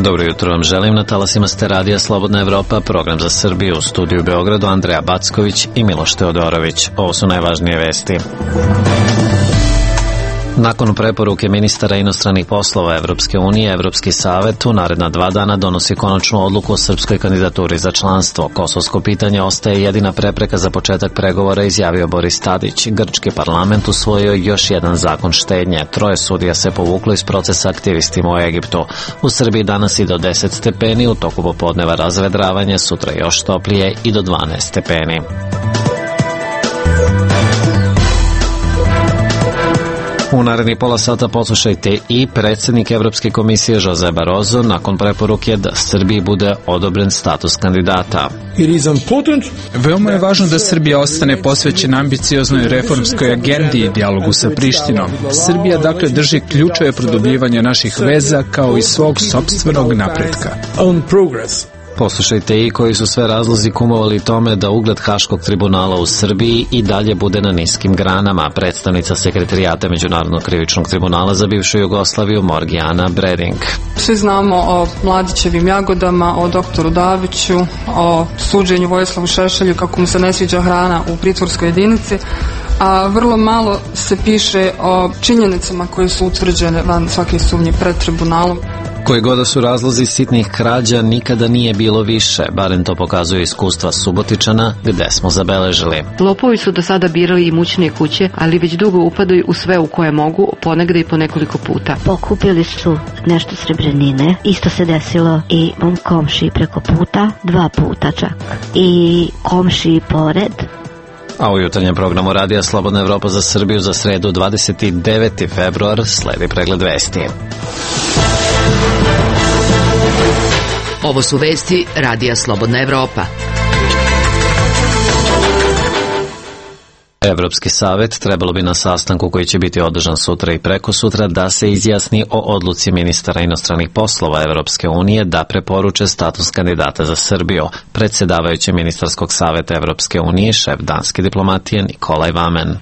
Dobro jutro vam želim, na talasima ste radija Slobodna Evropa, program za Srbiju, u studiju u Beogradu Andreja Backović i Miloš Teodorović. Ovo su najvažnije vesti. Nakon preporuke ministara inostranih poslova Evropske unije, Evropski savet u naredna 2 dana donosi konačnu odluku o srpskoj kandidaturi za članstvo. Kosovsko pitanje ostaje jedina prepreka za početak pregovora, izjavio Boris Tadić. Grčki parlament usvojio još jedan zakon štednje. 3 sudija se povuklo iz procesa aktivistima u Egiptu. U Srbiji danas i do 10 stepeni, u toku popodneva razvedravanje, sutra još toplije i do 12 stepeni. U narednih pola sata poslušajte i predsjednik Evropske komisije Jose Barroso nakon preporuke da Srbiji bude odobren status kandidata. Veoma je važno da Srbija ostane posvećena ambicioznoj reformskoj agendi i dijalogu sa Prištinom. Srbija dakle drži ključeve produbljivanja naših veza kao i svog sopstvenog napretka. Poslušajte i koji su sve razlozi kumovali tome da ugled Haškog tribunala u Srbiji i dalje bude na niskim granama. Predstavnica sekretarijata Međunarodnog krivičnog tribunala za bivšu Jugoslaviju Morgijana Breding. Svi znamo o Mladićevim jagodama, o doktoru Daviću, o suđenju Vojislavu Šešelju kako mu se ne sviđa hrana u pritvorskoj jedinici, a vrlo malo se piše o činjenicama koje su utvrđene van svake sumnje pred tribunalom. Koji god da su razlozi sitnih krađa, nikada nije bilo više, barem to pokazuje iskustva Subotičana, gde smo zabeležili. Lopovi su do sada birali imućne kuće, ali već dugo upadaju u sve u koje mogu, ponegde i po nekoliko puta. Pokupili su nešto srebrnine, isto se desilo i mom komšiji preko puta, 2 puta čak, i komšiji pored. A u jutarnjem programu radija Slobodna Evropa za Srbiju za sredu 29. februar sledi pregled vesti. Ovo su vesti radija Slobodna Evropa. Evropski savet trebalo bi na sastanku koji će biti održan sutra i prekosutra da se izjasni o odluci ministara inostranih poslova Evropske unije da preporuče status kandidata za Srbiju. Predsjedavajući ministarskog saveta Evropske unije, šef danske diplomatije Nikolaj Vamen.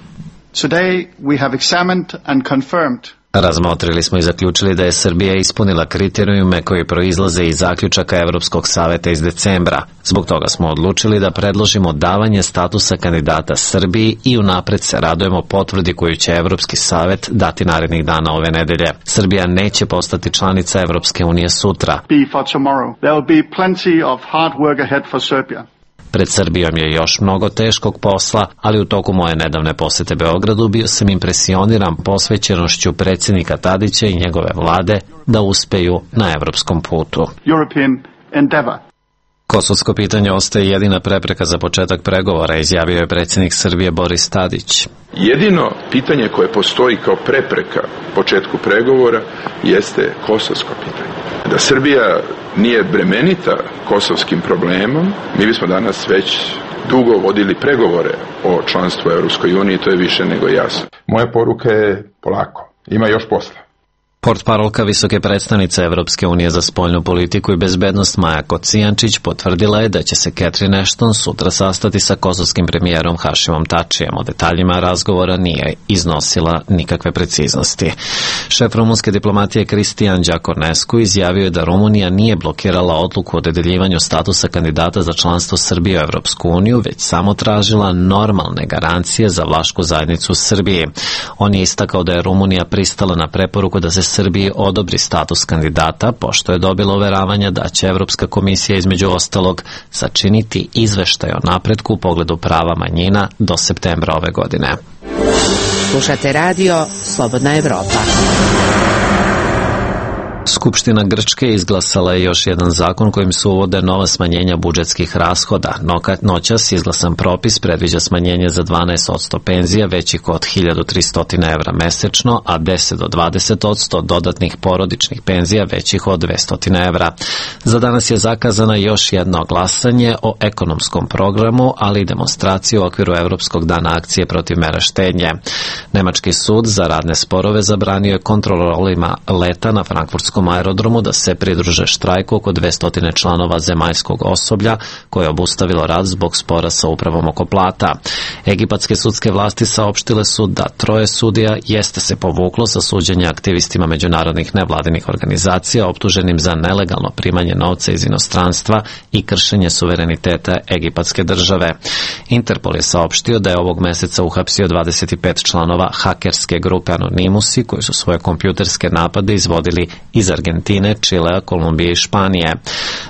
Today we have examined and confirmed. Razmotrili smo i zaključili da je Srbija ispunila kriterijume koji proizlaze iz zaključaka Evropskog saveta iz decembra. Zbog toga smo odlučili da predložimo davanje statusa kandidata Srbiji i unapred se radujemo potvrdi koju će Evropski savet dati narednih dana ove nedelje. Srbija neće postati članica Evropske unije sutra. Pred Srbijom je još mnogo teškog posla, ali u toku moje nedavne posete Beogradu bio sam impresioniran posvećenošću predsjednika Tadića i njegove vlade da uspeju na evropskom putu. Kosovsko pitanje ostaje jedina prepreka za početak pregovora, izjavio je predsjednik Srbije Boris Tadić. Jedino pitanje koje postoji kao prepreka početku pregovora jeste kosovsko pitanje. Da Srbija nije bremenita kosovskim problemom, mi bismo danas već dugo vodili pregovore o članstvu u Europskoj uniji, to je više nego jasno. Moja poruka je polako, ima još posla. Portparolka visoke predstavnice Evropske unije za spoljnu politiku i bezbednost Maja Kocijančić potvrdila je da će se Catherine Ashton sutra sastati sa kosovskim premijerom Hašimom Tačijem. O detaljima razgovora nije iznosila nikakve preciznosti. Šef rumunske diplomatije Cristian Đakornescu izjavio je da Rumunija nije blokirala odluku o dodeljivanju statusa kandidata za članstvo Srbije u Evropsku uniju, već samo tražila normalne garancije za vlašku zajednicu u Srbiji. On je istakao da je Rumunija pristala na preporuku da se Srbiji odobri status kandidata, pošto je dobila uveravanja da će Evropska komisija između ostalog sačiniti izveštaj o napretku u pogledu prava manjina do septembra ove godine. Slušate radio Slobodna Evropa. Skupština Grčke izglasala je još jedan zakon kojim se uvode nova smanjenja budžetskih rashoda. Noćas izglasan propis predviđa smanjenje za 12% penzija većih od 1300 evra mesečno, a 10 do 20% dodatnih porodičnih penzija većih od 200 evra. Za danas je zakazana još jedno glasanje o ekonomskom programu, ali i demonstraciju u okviru Evropskog dana akcije protiv mera štednje. Nemački sud za radne sporove zabranio je kontrolorima leta na frankfurtskom Beogradskom aerodromu da se pridruže štrajku oko 200 članova zemaljskog osoblja koje je obustavilo rad zbog spora sa upravom oko plata. Egipatske sudske vlasti saopštile su da 3 sudija jeste se povuklo sa suđenja aktivistima međunarodnih nevladinih organizacija optuženim za nelegalno primanje novca iz inostranstva i kršenje suvereniteta egipatske države. Interpol je saopštio da je ovog meseca uhapsio 25 članova hakerske grupe Anonimusi koji su svoje kompjuterske napade izvodili iz Argentine, Čilea, Kolumbije i Španije.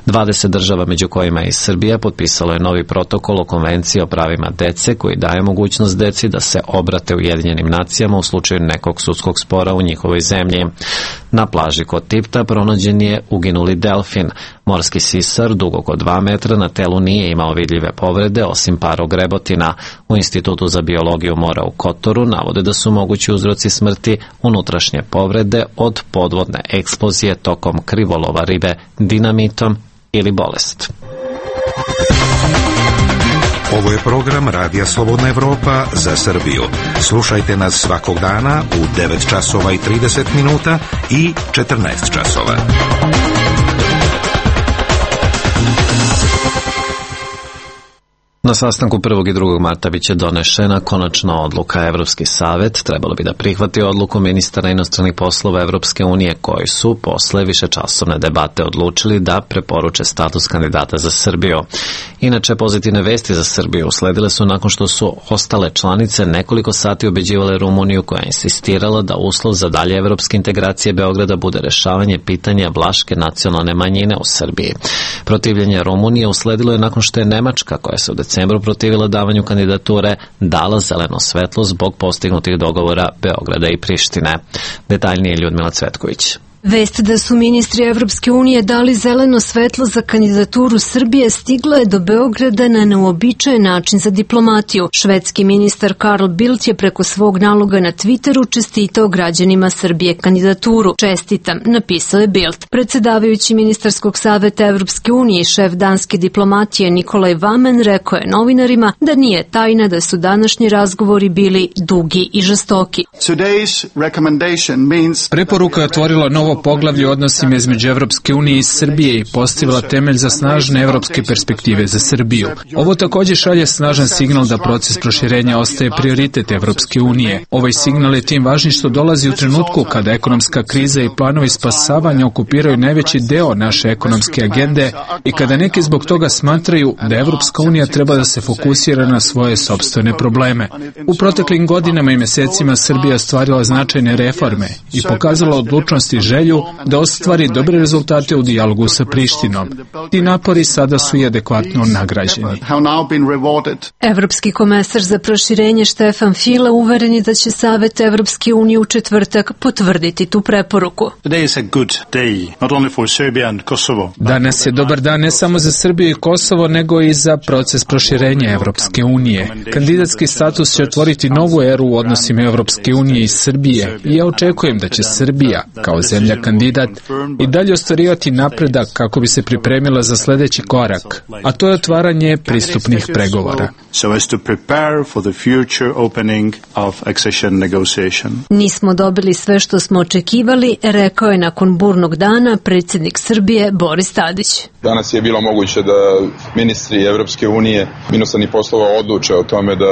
20 država, među kojima je i Srbija, potpisalo je novi protokol o konvenciji o pravima dece koji daje mogućnost deci da se obrate Ujedinjenim nacijama u slučaju nekog sudskog spora u njihovoj zemlji. Na plaži kod Tipta pronađen je uginuli delfin. Morski sisar, dug oko 2 metra, na telu nije imao vidljive povrede, osim par ogrebotina. U Institutu za biologiju mora u Kotoru navode da su mogući uzroci smrti unutrašnje povrede od podvodne eksplozije tokom krivolova ribe dinamitom ili bolest. Ovo je program Radija Slobodna Evropa za Srbiju. Slušajte nas svakog dana u 9 časova i 30 minuta i 14 časova. Na sastanku 1. i 2. marta biće donešena konačna odluka. Evropski savet trebalo bi da prihvati odluku ministara inostranih poslova Evropske unije koji su posle višečasovne debate odlučili da preporuče status kandidata za Srbiju. Inače, pozitivne vesti za Srbiju usledile su nakon što su ostale članice nekoliko sati ubeđivale Rumuniju koja je insistirala da uslov za dalje evropske integracije Beograda bude rešavanje pitanja vlaške nacionalne manjine u Srbiji. Protivljenje Rumunije usledilo je nakon što je Nemačka, koja se u decembru protivila davanju kandidature, dala zeleno svetlo zbog postignutih dogovora Beograda i Prištine. Detaljnije Ljudmila Cvetković. Vest da su ministri Evropske unije dali zeleno svetlo za kandidaturu Srbije stigla je do Beograda na neuobičajen način za diplomatiju. Švedski ministar Carl Bildt je preko svog naloga na Twitteru čestitao građanima Srbije kandidaturu. Čestitam, napisao je Bildt. Predsedavajući ministarskog saveta Evropske unije i šef danske diplomatije Nikolaj Vamen rekao je novinarima da nije tajna da su današnji razgovori bili dugi i žestoki. Preporuka je otvorila novo poglavlje odnosima između Evropske unije i Srbije i postavila temelj za snažne evropske perspektive za Srbiju. Ovo također šalje snažan signal da proces proširenja ostaje prioritet Evropske unije. Ovaj signal je tim važniji što dolazi u trenutku kada ekonomska kriza i planovi spasavanja okupiraju najveći deo naše ekonomske agende i kada neki zbog toga smatraju da Evropska unija treba da se fokusira na svoje sopstvene probleme. U proteklim godinama i mesecima Srbija ostvarila značajne reforme i pokazala odlučnost i želju da ostvari dobre rezultate u dijalogu sa Prištinom. Ti napori sada su i adekvatno nagrađeni. Evropski komesar za proširenje Štefan File uveren je da će Savet Evropske unije u četvrtak potvrditi tu preporuku. Danas je dobar dan ne samo za Srbiju i Kosovo, nego i za proces proširenja Evropske unije. Kandidatski status će otvoriti novu eru u odnosima Evropske unije i Srbije i ja očekujem da će Srbija, kao zemlja kandidat, i dalje ostvarivati napredak kako bi se pripremila za sljedeći korak, a to je otvaranje pristupnih pregovora. Nismo dobili sve što smo očekivali, rekao je nakon burnog dana predsjednik Srbije Boris Tadić. Danas je bilo moguće da ministri Evropske unije inostranih poslova odluče o tome da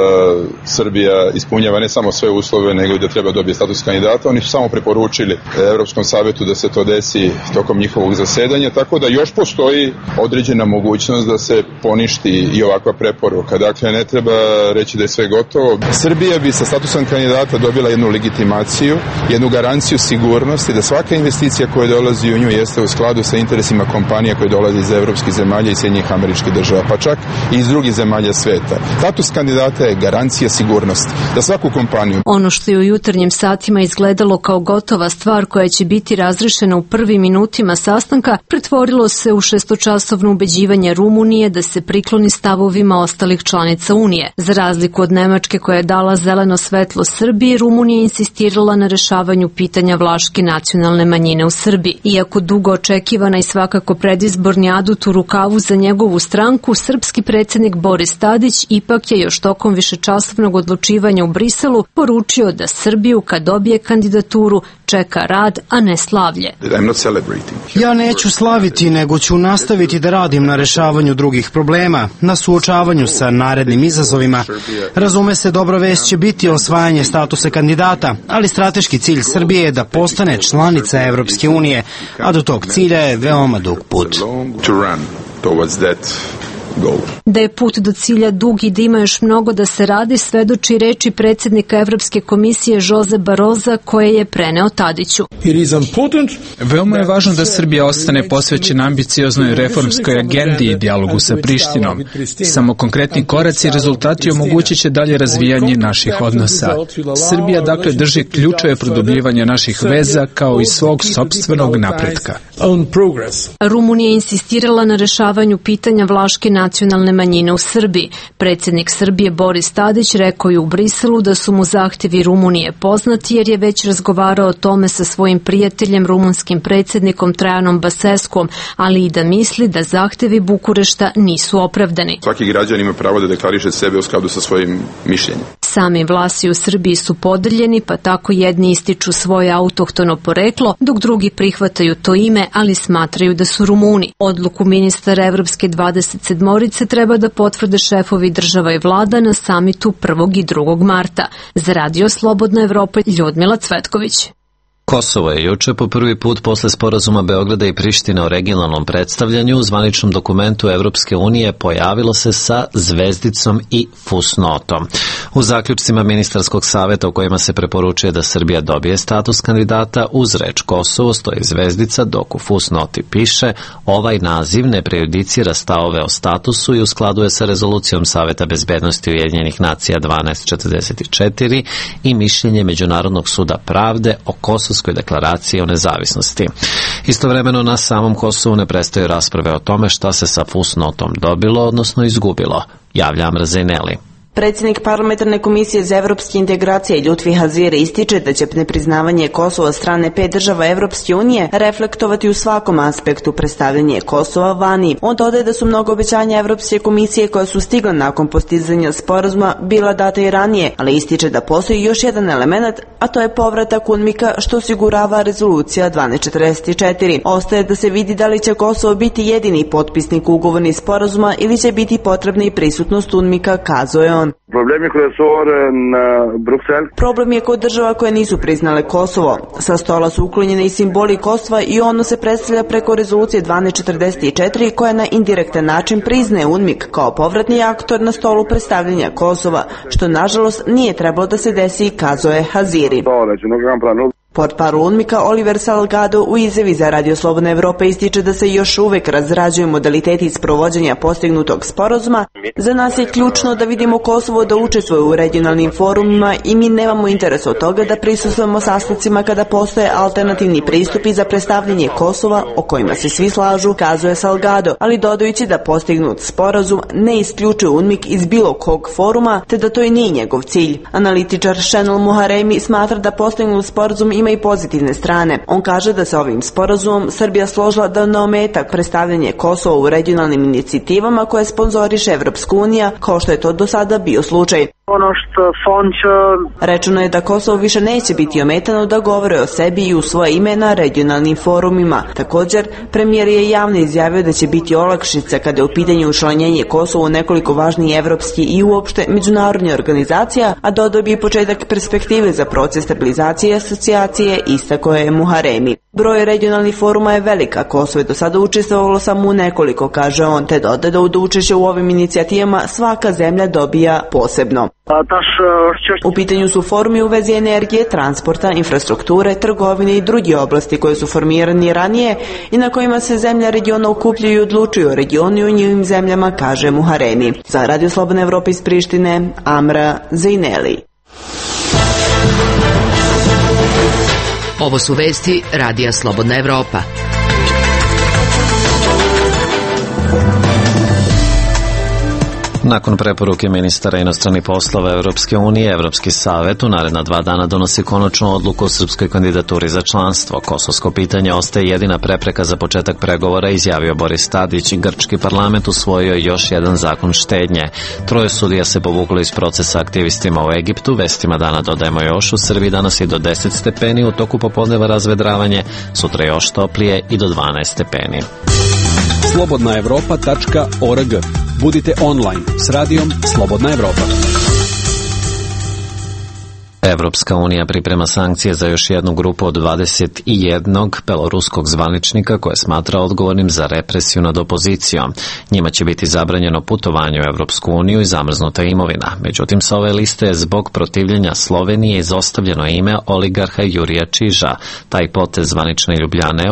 Srbija ispunjava ne samo sve uslove, nego i da treba dobije status kandidata. Oni su samo preporučili Evropskom savetu da se to desi tokom njihovog zasedanja, tako da još postoji određena mogućnost da se poništi i ovakva preporuka. Dakle, ne treba reći da je sve gotovo. Srbija bi sa statusom kandidata dobila jednu legitimaciju, jednu garanciju sigurnosti da svaka investicija koja dolazi u nju jeste u skladu sa interesima kompanija koje dolaze iz evropskih zemalja i Sjedinjenih Američkih Država, pa čak i iz drugih zemalja sveta. Status kandidata je garancija sigurnosti za svaku kompaniju. Ono što je u jutarnjim satima izgledalo kao gotova stvar koja će biti razrešena u prvim minutima sastanka, pretvorilo se u šestočasovno ubeđivanje Rumunije da se prikloni stavovima ostalih članica Unije. Za razliku od Nemačke koja je dala zeleno svetlo Srbiji, Rumunija insistirala na rešavanju pitanja vlaške nacionalne manjine u Srbiji. Iako dugo očekivana i svakako predizborni adut u rukavu za njegovu stranku, srpski predsjednik Boris Tadić ipak je još tokom višečasovnog odlučivanja u Briselu poručio da Srbiju kad dobije kandidaturu čeka rad, a ne slavlje. Ja neću slaviti, nego ću nastaviti da radim na rešavanju drugih problema, na suočavanju sa narednim izazovima. Razume se, dobra vest će biti osvajanje statusa kandidata, ali strateški cilj Srbije je da postane članica Evropske unije, a do tog cilja je veoma dug put. Da je put do cilja dug i da ima još mnogo da se radi, svedoči reči predsjednika Evropske komisije Jose Barroza, koje je preneo Tadiću. Veoma je važno da Srbija ostane posvećena ambicioznoj reformskoj agendi i dijalogu sa Prištinom. Samo konkretni koraci i rezultati omogućit će dalje razvijanje naših odnosa. Srbija dakle drži ključeve produbljivanja naših veza kao i svog sopstvenog napretka. Rumunija je insistirala na rešavanju pitanja vlaške nacionalne manjine u Srbiji. Predsjednik Srbije Boris Tadić rekao je u Briselu da su mu zahtjevi Rumunije poznati jer je već razgovarao o tome sa svojim prijateljem rumunskim predsjednikom Trajanom Baseskom, ali i da misli da zahtjevi Bukurešta nisu opravdani. Svaki građan ima pravo da deklariše sebe u skladu sa svojim mišljenjem. Sami vlasi u Srbiji su podeljeni, pa tako jedni ističu svoje autohtono poreklo, dok drugi prihvataju to ime, ali smatraju da su Rumuni. Odluku ministara Evropske 27-orice treba da potvrde šefovi država i vlada na samitu 1. i 2. marta. Za Radio Slobodna Evropa, Ljudmila Cvetković. Kosovo je juče po prvi put posle sporazuma Beograda i Prištine o regionalnom predstavljanju u zvaničnom dokumentu Evropske unije pojavilo se sa zvezdicom i fusnotom. U zaključcima ministarskog saveta u kojima se preporučuje da Srbija dobije status kandidata, uz reč Kosovo stoji zvezdica, dok u fusnoti piše: ovaj naziv ne prejudicira stavove o statusu i u skladu je sa rezolucijom Saveta bezbednosti Ujedinjenih nacija 1244 i mišljenje Međunarodnog suda pravde o Kosovskoj deklaraciji o nezavisnosti. Istovremeno na samom Kosovu ne prestaju rasprave o tome šta se sa fusnotom dobilo, odnosno izgubilo, javlja Amra Zejneli. Predsjednik parlamentarne komisije za evropske integracije Ljutfi Hazire ističe da će nepriznavanje Kosova od strane 5 država Evropske unije reflektovati u svakom aspektu predstavljanje Kosova vani. On dodaje da su mnogo obećanja Evropske komisije koja su stigla nakon postizanja sporazuma bila data i ranije, ali ističe da postoji još jedan element, a to je povratak UNMIK-a što osigurava rezolucija 1244. Ostaje da se vidi da li će Kosovo biti jedini potpisnik ugovornih sporazuma ili će biti potrebna i prisutnost UNMIK-a, kazuje on. Problem je kod država koje nisu priznale Kosovo. Sa stola su uklonjene i simboli Kosova i ono se predstavlja preko rezolucije 1244 koja na indirektan način priznaje UNMIK kao povratni aktor na stolu predstavljanja Kosova, što nažalost nije trebalo da se desi, kazuje Haziri. Portparol UNMIK-a Oliver Salgado u izjavi za Radio Slobodna Evropa ističe da se još uvek razrađuju modaliteti sprovođenja postignutog sporazuma. Za nas je ključno da vidimo Kosovo da učestvuje u regionalnim forumima i mi nemamo interes od toga da prisustvujemo sastancima kada postoje alternativni pristupi za predstavljanje Kosova o kojima se svi slažu, kazuje Salgado, ali dodajući da postignut sporazum ne isključuje UNMIK iz bilo kog foruma, te da to i nije njegov cilj. Analitičar Šenol Muharemi smatra da postignut sporazum ima i pozitivne strane. On kaže da se ovim sporazumom Srbija složila da ne ometa predstavljanje Kosova u regionalnim inicijativama koje sponzoriše Evropska unija, kao što je to do sada bio slučaj. Rečeno je da Kosovo više neće biti ometano da govore o sebi i u svoje ime na regionalnim forumima. Također, premijer je javno izjavio da će biti olakšica kada je u pitanju učlanjenje Kosova u nekoliko važnijih evropskih i uopšte međunarodnih organizacija, a dodao bi i početak perspektive za proces stabilizacije i asocijacije, istakao je Muharemi. Broj regionalnih foruma je velika, Kosovo je do sada učestvovalo samo u nekoliko, kaže on, te dodaje da od učešća u ovim inicijativama svaka zemlja dobija posebno. U pitanju su forumi u vezi energije, transporta, infrastrukture, trgovine i drugi oblasti koje su formirani ranije i na kojima se zemlja regiona okupljaju i odlučuju o regionu i u njivim zemljama, kaže Muharemi. Za Radio Slobodna Evropa iz Prištine, Amra Zejneli. Ovo su vesti Radija Slobodna Evropa. Nakon preporuke ministara inostranih poslova Evropske unije, Evropski savet u naredna 2 dana donosi konačnu odluku o srpskoj kandidaturi za članstvo. Kosovsko pitanje ostaje jedina prepreka za početak pregovora, izjavio Boris Tadić. Grčki parlament usvojio još jedan zakon štednje. 3 sudija se povuklo iz procesa aktivistima u Egiptu. Vestima dana dodajemo još, u Srbiji danas i do 10 stepeni, u toku popodneva razvedravanje, sutra još toplije i do 12 stepeni. Slobodnaevropa.org. Budite online s radijom Slobodna Evropa. Evropska unija priprema sankcije za još jednu grupu od 21 beloruskog zvaničnika koje smatra odgovornim za represiju nad opozicijom. Njima će biti zabranjeno putovanje u Evropsku uniju i zamrznuta imovina. Međutim, sa ove liste je zbog protivljenja Slovenije izostavljeno ime oligarha Jurija Čiža. Taj potez zvanične Ljubljane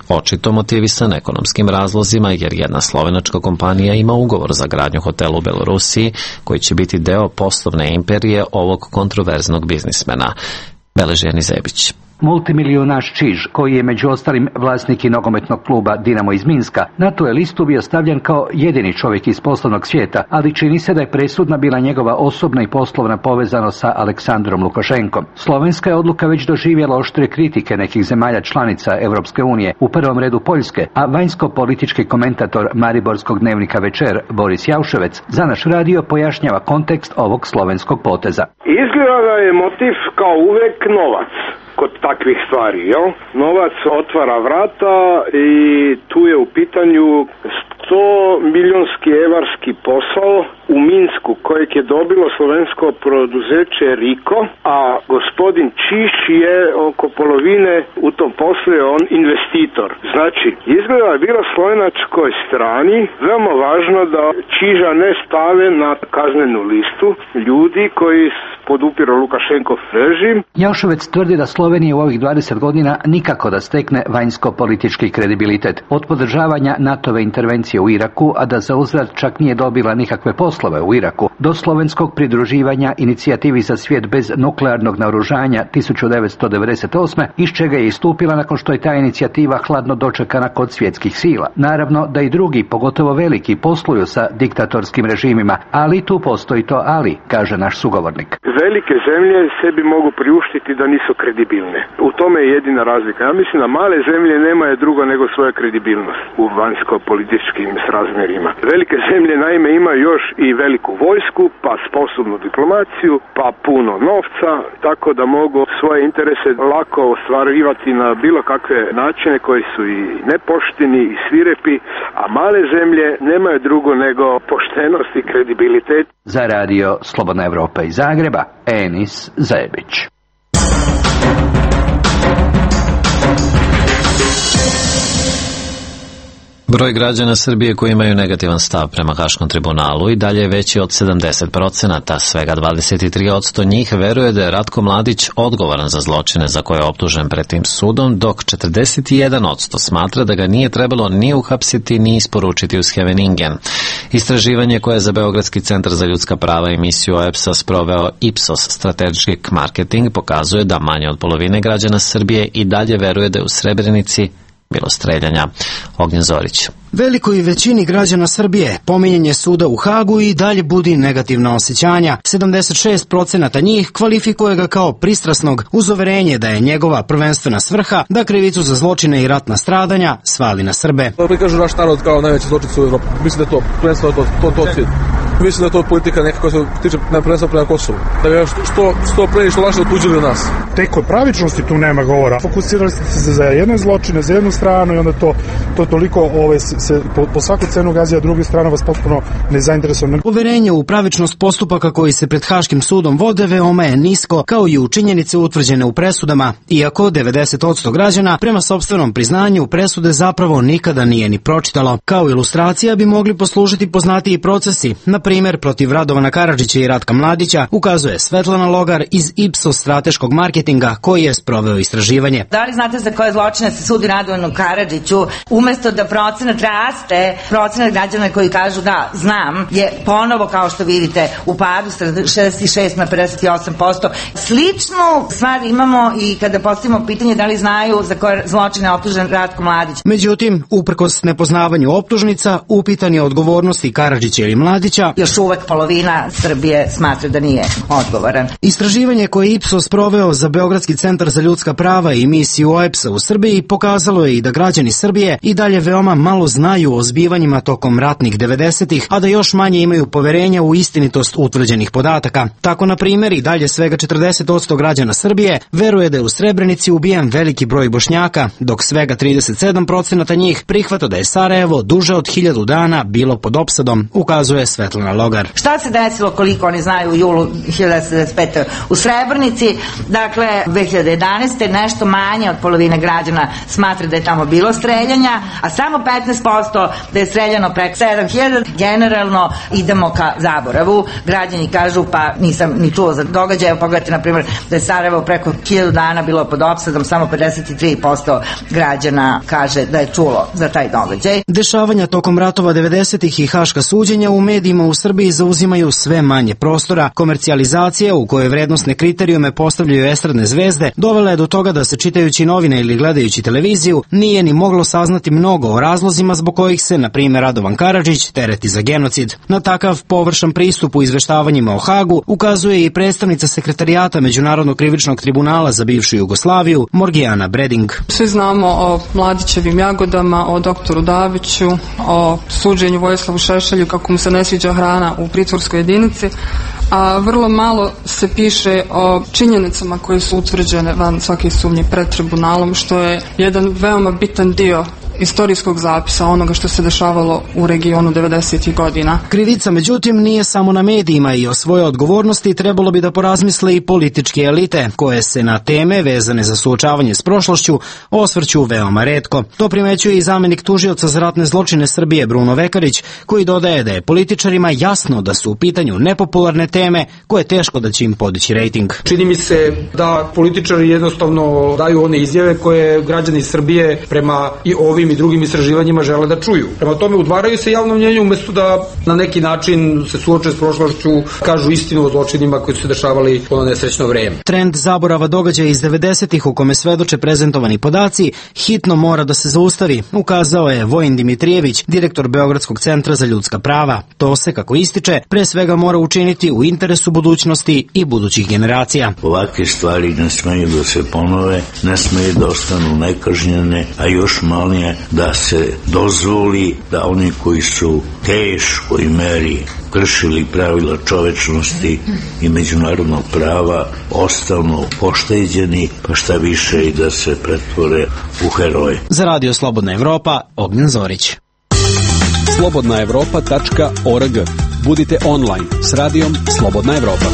očito motivisan ekonomskim razlozima, jer jedna slovenačka kompanija ima ugovor za gradnju hotela u Belorusiji koji će biti deo poslovne imperije ovog kontroverznog biznismena. Beleži Jani Zebić. Multimilionaš Čiž, koji je među ostalim vlasnik i nogometnog kluba Dinamo iz Minska, na tu je listu bio stavljen kao jedini čovjek iz poslovnog svijeta, ali čini se da je presudna bila njegova osobna i poslovna povezanost sa Aleksandrom Lukašenkom. Slovenska je odluka već doživjela oštre kritike nekih zemalja članica Europske unije, u prvom redu Poljske, a vanjsko-politički komentator mariborskog dnevnika Večer Boris Jauševec za naš radio pojašnjava kontekst ovog slovenskog poteza. Izgleda da je motiv kao uvek novac. Kod takvih stvari, jel? Novac otvara vrata i tu je u pitanju 100 milionski evarski posao u Minsku kojeg je dobilo slovensko poduzeće Riko, a gospodin Čiž je oko polovine u tom poslu je on investitor. Znači, izgleda je bilo slovenačkoj strani veoma važno da Čiža ne stave na kaznenu listu ljudi koji podupiru Lukašenkov režim. Jauševec tvrdi da Slovenija u ovih 20 godina nikako da stekne vanjsko-politički kredibilitet. Od podržavanja NATO-ve intervencije u Iraku, a da za uzvrat čak nije dobila nikakve poslove u Iraku, do slovenskog pridruživanja inicijativi za svijet bez nuklearnog naoružanja 1998. iz čega je istupila nakon što je ta inicijativa hladno dočekana kod svjetskih sila. Naravno da i drugi, pogotovo veliki, posluju sa diktatorskim režimima, ali tu postoji to ali, kaže naš sugovornik. Velike zemlje sebi mogu priuštiti da nisu kredibilne. U tome je jedina razlika. Ja mislim da male zemlje nemaju drugo nego svoja kredibilnost u vanjsko-političkim srazmjerima. Velike zemlje naime imaju još i veliku vojsku, pa sposobnu diplomaciju, pa puno novca, tako da mogu svoje interese lako ostvarivati na bilo kakve načine koji su i nepošteni i svirepi, a male zemlje nemaju drugo nego poštenost i kredibilitet. Za radio Slobodna Evropa iz Zagreba, Enis Zebić. Broj građana Srbije koji imaju negativan stav prema Haškom tribunalu i dalje je veći od 70%, svega 23% njih veruje da je Ratko Mladić odgovoran za zločine za koje je optužen pred tim sudom, dok 41% smatra da ga nije trebalo ni uhapsiti ni isporučiti u Scheveningen. Istraživanje koje je za Beogradski centar za ljudska prava i misiju OEBS-a sproveo Ipsos Strategic Marketing pokazuje da manje od polovine građana Srbije i dalje veruje da je u Srebrenici bilo streljanja. Ognjen Zorić. Velikoj većini građana Srbije pominjanje suda u Hagu i dalje budi negativna osjećanja. 76% njih kvalifikuje ga kao pristrasnog uz uverenje da je njegova prvenstvena svrha da krivicu za zločine i ratna stradanja svali na Srbe. Prikažu naš narod kao najveći zločinac u Evropi. Mislim da je to prvenstveno to cilj. Mislim da je to politika neka koja se tiče prvenstveno prema Kosovu. Da je što pre i što lakše otuđili od nas. Tek od pravičnosti tu nema govora. Fokusirali ste se za jedne zločine, za jednu stranu i onda to toliko se po svaku cenu gazi, a druga strana vas potpuno nezainteresovana. Uverenje u pravičnost postupaka koji se pred Haškim sudom vode veoma je nisko, kao i u činjenice utvrđene u presudama, iako 90% građana prema sopstvenom priznanju presude zapravo nikada nije ni pročitalo. Kao ilustracija bi mogli poslužiti poznatiji procesi, na primjer protiv Radovana Karadžića i Ratka Mladića, ukazuje Svetlana Logar iz Ipsos strateškog marketinga koji je sproveo istraživanje. Da li znate za koje zločine se sudi Radovanu Karadžiću? Umesto da procenat raste, procenat građana koji kažu da znam je ponovo, kao što vidite, u padu 66 na 58%. Sličnu stvar imamo i kada postavimo pitanje da li znaju za koje zločine je optužen Ratko Mladić. Međutim, uprkos nepoznavanju optužnica, upitan je odgovornosti Karadžića ili Mladića, još uvek polovina Srbije smatra da nije odgovoran. Istraživanje koje je Ipsos proveo za Beogradski centar za ljudska prava i misiju OEBS-a u Srbiji pokazalo je i da građani Srbije i dalje veoma malo znaju o zbivanjima tokom ratnih 90-ih, a da još manje imaju poverenja u istinitost utvrđenih podataka. Tako, na primjer, i dalje svega 40% građana Srbije veruje da je u Srebrenici ubijen veliki broj Bošnjaka, dok svega 37% njih prihvata da je Sarajevo duže od 1000 dana bilo pod opsadom, ukazuje Svetlana Logar. Šta se desilo, koliko oni znaju, u julu 1995. u Srebrenici? Dakle, 2011. nešto manje od polovine građana smatra da je tamo bilo streljanja, a samo 15% da je streljano preko 7000. Generalno idemo ka zaboravu. Građani kažu, pa nisam ni čuo za događaje. Pogledajte, na primjer, da je Sarajevo preko 1000 dana bilo pod opsadom, samo 53% građana kaže da je čulo za taj događaj. Dešavanja tokom ratova 90-ih i haška suđenja u medijima u Srbiji zauzimaju sve manje prostora. Komercijalizacija, u kojoj vrednosne kriterijume postavljaju estradne zvezde, dovela je do toga da se čitajući novine ili gledajući televiziju nije ni moglo saznati mnogo o razlozima zbog kojih se, na primjer, Radovan Karadžić tereti za genocid. Na takav površan pristup u izveštavanjima o Hagu ukazuje i predstavnica Sekretarijata Međunarodnog krivičnog tribunala za bivšu Jugoslaviju, Morgijana Breding. Svi znamo o Mladićevim jagodama, o doktoru Daviću, o suđenju Vojislavu Šešelju kako mu se ne sviđa hrana u pritvorskoj jedinici, a vrlo malo se piše o činjenicama koje su utvrđene van svake sumnje pred tribunalom, što je jedan veoma bitan dio istorijskog zapisa onoga što se dešavalo u regionu 90. godina. Krivica, međutim, nije samo na medijima i o svojoj odgovornosti trebalo bi da porazmisle i političke elite, koje se na teme vezane za suočavanje s prošlošću osvrću veoma retko. To primećuje i zamenik tužioca za ratne zločine Srbije Bruno Vekarić, koji dodaje da je političarima jasno da su u pitanju nepopularne teme koje teško da će im podići rejting. Čini mi se da političari jednostavno daju one izjave koje građani Srbije prema i ovim i drugim istraživanjima žele da čuju. Prema tome udvaraju se javnom mnjenju umesto da na neki način se suoče s prošlošću, kažu istinu o zločinima koji su se dešavali u ono nesrećno vreme. Trend zaborava događaja iz 90-ih u kome svedoče prezentovani podaci hitno mora da se zaustavi, ukazao je Vojin Dimitrijević, direktor Beogradskog centra za ljudska prava. To se, kako ističe, pre svega mora učiniti u interesu budućnosti i budućih generacija. Ovakve stvari ne smeju da se ponove, ne smeju da ostanu nekažnjene, a još manje da se dozvoli da oni koji su teškoj meri kršili pravila čovečnosti i međunarodnog prava ostanu pošteđeni, pa šta više i da se pretvore u heroje. Za Radio Slobodna Evropa, Ognjen Zorić. slobodnaevropa.org. Budite online s radijom Slobodna Evropa.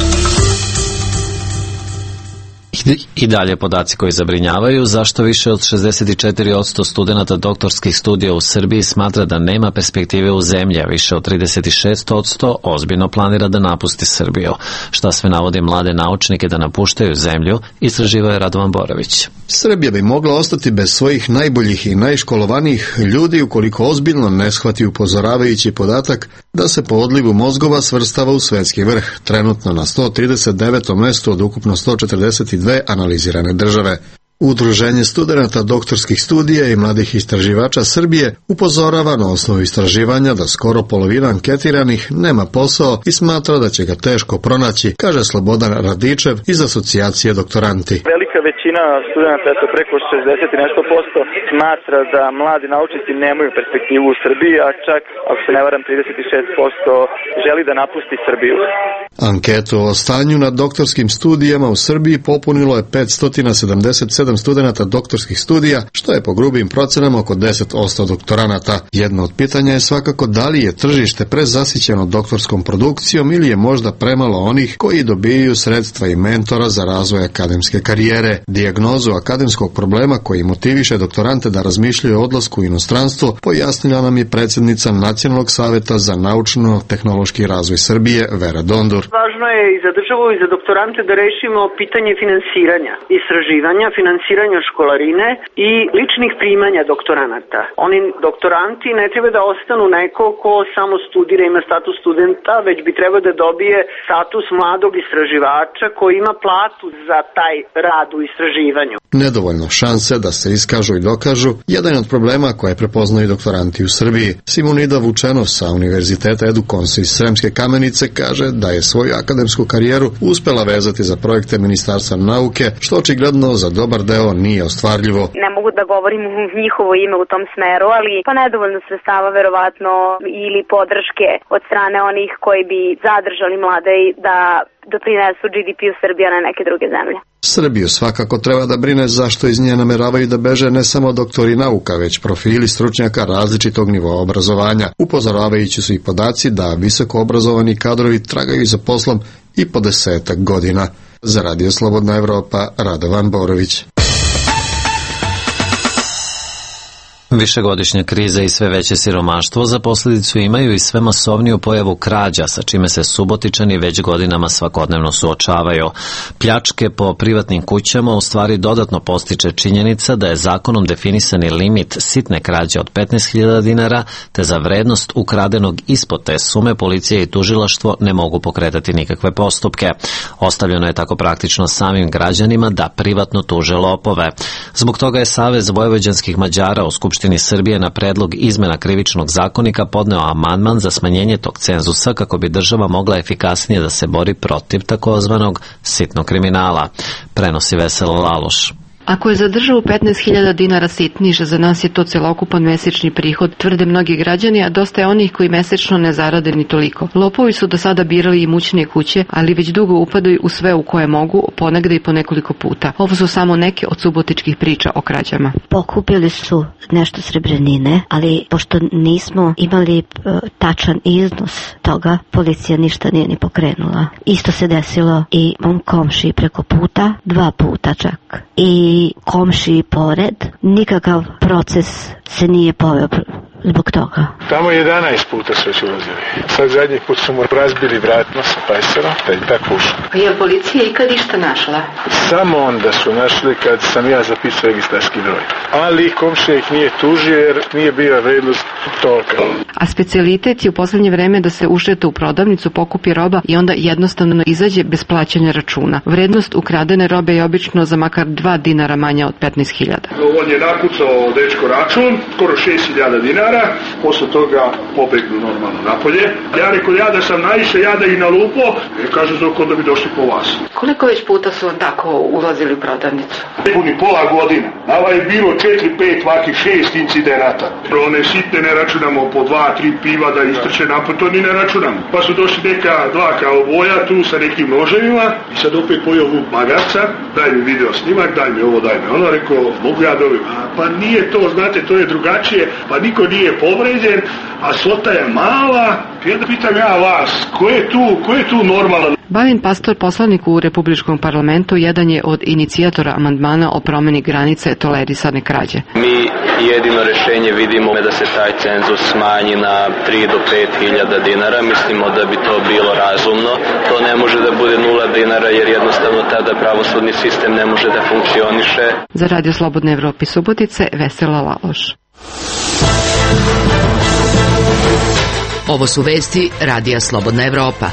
I dalje podaci koji zabrinjavaju, zašto više od 64% studenata doktorskih studija u Srbiji smatra da nema perspektive u zemlji, a više od 36% ozbiljno planira da napusti Srbiju. Šta sve navodi mlade naučnike da napuštaju zemlju, istraživao je Radovan Borović. Srbija bi mogla ostati bez svojih najboljih i najškolovanijih ljudi ukoliko ozbiljno ne shvati upozoravajući podatak da se po odlivu mozgova svrstava u svetski vrh, trenutno na 139. mestu od ukupno 142 analizirane države. Udruženje studenata doktorskih studija i mladih istraživača Srbije upozorava na osnovu istraživanja da skoro polovina anketiranih nema posao i smatra da će ga teško pronaći, kaže Slobodan Radičev iz asocijacije Doktoranti. Velika većina studenata, preko 60 i nešto posto, smatra da mladi naučnici nemaju perspektivu u Srbiji, a čak, ako se ne varam, 36% želi da napusti Srbiju. Anketu o stanju na doktorskim studijama u Srbiji popunilo je 577 studenata doktorskih studija, što je po grubim procenama oko 10% doktoranata. Jedno od pitanja je svakako da li je tržište prezasićeno doktorskom produkcijom ili je možda premalo onih koji dobijaju sredstva i mentora za razvoj akademske karijere. Dijagnozu akademskog problema koji motiviše doktorante da razmišljaju o odlasku u inostranstvo pojasnila nam je predsjednica Nacionalnog saveta za naučno-tehnološki razvoj Srbije, Vera Dondur. Važno je i za državu i za doktorante da rešimo pitanje finansiranja, istraživanja, finansiranja školarine i ličnih primanja doktoranata. Oni doktoranti ne treba da ostanu neko ko samo studira, ima status studenta, već bi trebao da dobije status mladog istraživača koji ima platu za taj rad u istraživanju. Nedovoljno šanse da se iskažu i dokažu jedan od problema koje prepoznaju doktoranti u Srbiji. Simonida Vučenov sa Univerziteta Edukonsa iz Sremske Kamenice kaže da je svoju akademsku karijeru uspela vezati za projekte Ministarstva nauke, što očigledno za dobar deo nije ostvarljivo. Ne mogu da govorim u njihovo ime u tom smeru, ali pa nedovoljno sredstava verovatno ili podrške od strane onih koji bi zadržali mlade da doprinesu GDP-u Srbije na neke druge zemlje. Srbiju svakako treba da brine zašto iz nje nameravaju da beže ne samo doktori nauka, već profili stručnjaka različitog nivoa obrazovanja. Upozoravajući su i podaci da visoko obrazovani kadrovi tragaju za poslom i po 10 godina. Za Radio Slobodna Evropa, Radovan Borović. Višegodišnja kriza i sve veće siromaštvo za posljedicu imaju i sve masovniju pojavu krađa, sa čime se Subotičani već godinama svakodnevno suočavaju. Pljačke po privatnim kućama u stvari dodatno postiče činjenica da je zakonom definisani limit sitne krađe od 15.000 dinara, te za vrednost ukradenog ispod te sume policija i tužilaštvo ne mogu pokretati nikakve postupke. Ostavljeno je tako praktično samim građanima da privatno tuže lopove. Zbog toga je Savez vojvođanskih Mađara u Skupštini Srbije na predlog izmena krivičnog zakonika podneo amandman za smanjenje tog cenzusa kako bi država mogla efikasnije da se bori protiv takozvanog sitnog kriminala. Prenosi Vesela Laloš. Ako je za državu 15.000 dinara sitniže, za nas je to celokupan mesečni prihod, tvrde mnogi građani, a dosta je onih koji mesečno ne zarade ni toliko. Lopovi su do sada birali imućnije kuće, ali već dugo upadaju u sve u koje mogu, ponegde i po nekoliko puta. Ovo su samo neke od subotičkih priča o krađama. Pokupili su nešto srebrnine, ali pošto nismo imali tačan iznos toga, policija ništa nije ni pokrenula. Isto se desilo i mom komšiji preko puta, 2 puta čak. I komšiji pored, nikakav proces se nije poveo zbog toga. Tamo 11 puta su već ulazili. Sad zadnji put su mu razbili vratno sa pajserom, da je tako ušao. Pa je policija ikad išta našla? Samo onda su našli kad sam ja zapisao registarski broj. Ali komšija ih nije tužio jer nije bila vrednost toga. A specijalitet je u poslednje vreme da se ušete u prodavnicu, pokupi roba i onda jednostavno izađe bez plaćanja računa. Vrednost ukradene robe je obično za makar 2 dinara manja od 15.000. On je nakucao dečko račun, skoro 6.000 dinara. Posle toga pobegnu normalno napolje. Ja rekao, ja da sam naišao, ja da ih nalupo, kažu zoko da bi došli po vas. Koliko već puta su tako ulazili u prodavnicu? Puni pola godina. Nava je bilo 4-5, vaki 6 incidenata. One sitne ne računamo po 2-3 piva da istrče napad, to ni ne računamo. Pa su došli neka 2 kauboja tu sa nekim noževima i sad opet pojao Vuk Magarca, daj mi video snimak, daj mi ovo, daj mi ono, rekao, mogu ja dobiti. Pa nije to, znate, to je drugačije, pa niko nije povređen, a svota je mala. I onda pitam ja vas, ko je tu normalan? Balin Pastor, poslanik u Republičkom parlamentu, jedan je od inicijatora amandmana o promeni granice tolerisane krađe. Mi jedino rešenje vidimo da se taj cenzus smanji na 3 do 5.000 dinara. Mislimo da bi to bilo razumno. To ne može da bude 0 dinara jer jednostavno tada pravosudni sistem ne može da funkcioniše. Za Radio Slobodne Evrope Subotice, Vesela Laloš. Ovo su vesti Radija Slobodna Evropa.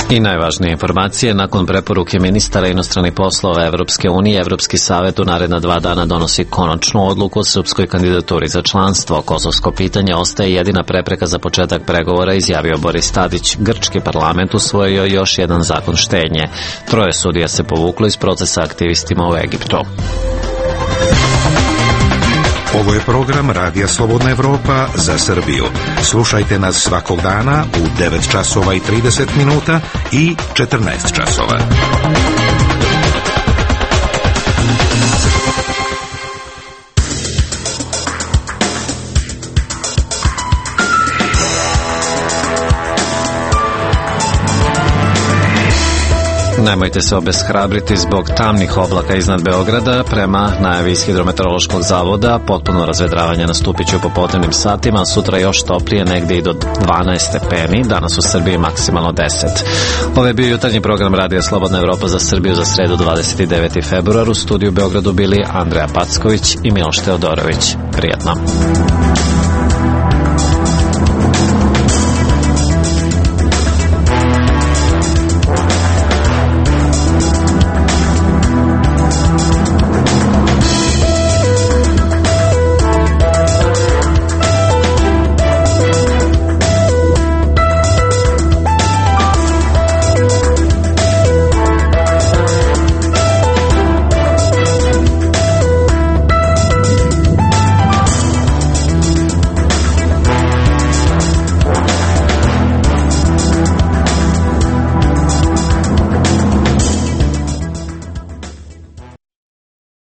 I najvažnije informacije, nakon preporuke ministara inostranih poslova Evropske unije, Evropski savet u naredna 2 dana donosi konačnu odluku o srpskoj kandidaturi za članstvo. Kosovsko pitanje ostaje jedina prepreka za početak pregovora, izjavio Boris Tadić. Grčki parlament usvojio još jedan zakon štednje. 3 sudija se povuklo iz procesa aktivistima u Egiptu. Ovo je program Radija Slobodna Evropa za Srbiju. Slušajte nas svakog dana u 9 časova i 30 minuta i 14 časova. Nemojte se obeshrabriti zbog tamnih oblaka iznad Beograda. Prema najavi iz Hidrometeorološkog zavoda, potpuno razvedravanje nastupit će u popodnevnim satima, a sutra još toplije, negde i do 12 stepeni, danas u Srbiji maksimalno 10. Ovo je bio jutarnji program Radija Slobodna Evropa za Srbiju za sredu 29. februar. U studiju u Beogradu bili Andreja Packović i Miloš Teodorović. Prijetno.